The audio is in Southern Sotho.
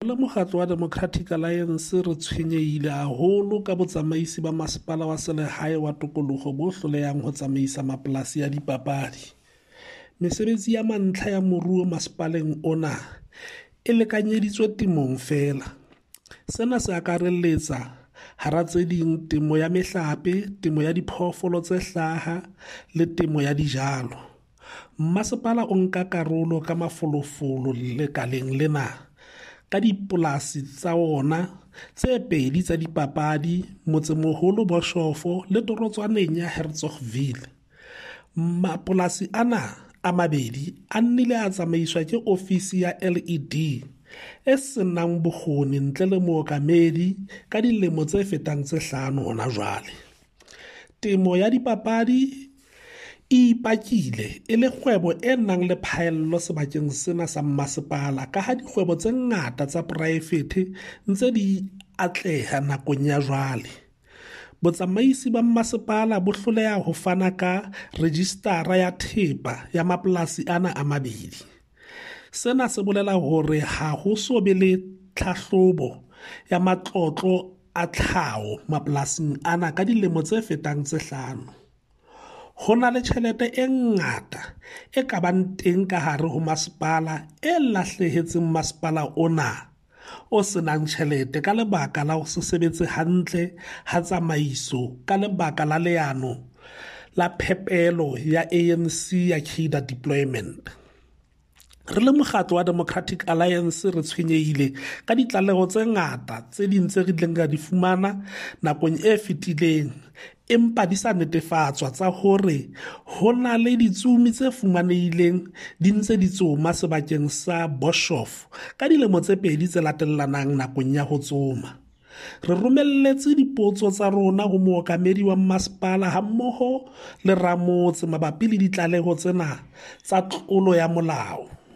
Le mokgatlo wa Democratic Alliance re tshwenyehile haholo ka botsamaisi ba masepala wa selehae wa tokoloho bo hlolehang ho tsamaisa mapolasi a dipapadi. Mesebetsi ya mantlha ya moruo masepaleng ona e lekanyeditswe temong feela. Sena se akarelletsa hara tse ding temo ya mehlape, temo ya diphoofolo tse hlaha le temo ya dijalo. Mmasepala o nka karolo ka mafolofolo lekaleng lena ka dipolasi tsa ona tse pedi tsa dipapadi motsemoholo Boshof le torotswaneng ya Hertzogville. Mapolasi ana a mabedi a nnile a tsamaiswa ke ofisi ya LED e senang bokgoni ntle le mookamedi ka dilemo tse fetang tse hlano hona jwale. Temo ya dipapadi e ipakile e le kgwebo e nang le phaello sebakeng sena sa mmasepala ka ha dikgwebo tse ngata tsa poraefete ntse di atleha nakong ya jwale. Botsamaisi ba mmasepala bo hloleha ho fana ka rejistara ya thepa ya mapolasi ana a mabedi. Sena se bolela hore ha ho so be le tlhahlobo ya matlotlo a tlhaho mapolasing ana ka dilemo tse fetang tse hlano. Ho na le tjhelete e ngata e ka bang teng ka hare ho masepala e lahlehetseng masepala ona o senang tjhelete ka lebaka la ho se sebetse hantle ha tsamaiso ka lebaka la leano la phepelo ya ANC ya cadre deployment. Re le mokgatlo wa Democratic Alliance re tshwenyehile ka ditlaleho tse ngata tse ding tse re ileng ra di fumana nakong e fetileng empa di sa netefatswa tsa hore ho na le ditsomi tse fumanehileng di ntse di tsoma sebakeng sa Boshof ka dilemo tse pedi tse latellanang nakong ya ho tsoma. Re romelletse dipotso tsa rona ho mookamedi wa mmasepala hammoho le ramotse mabapi le ditlaleho tsena tsa tlolo ya molao.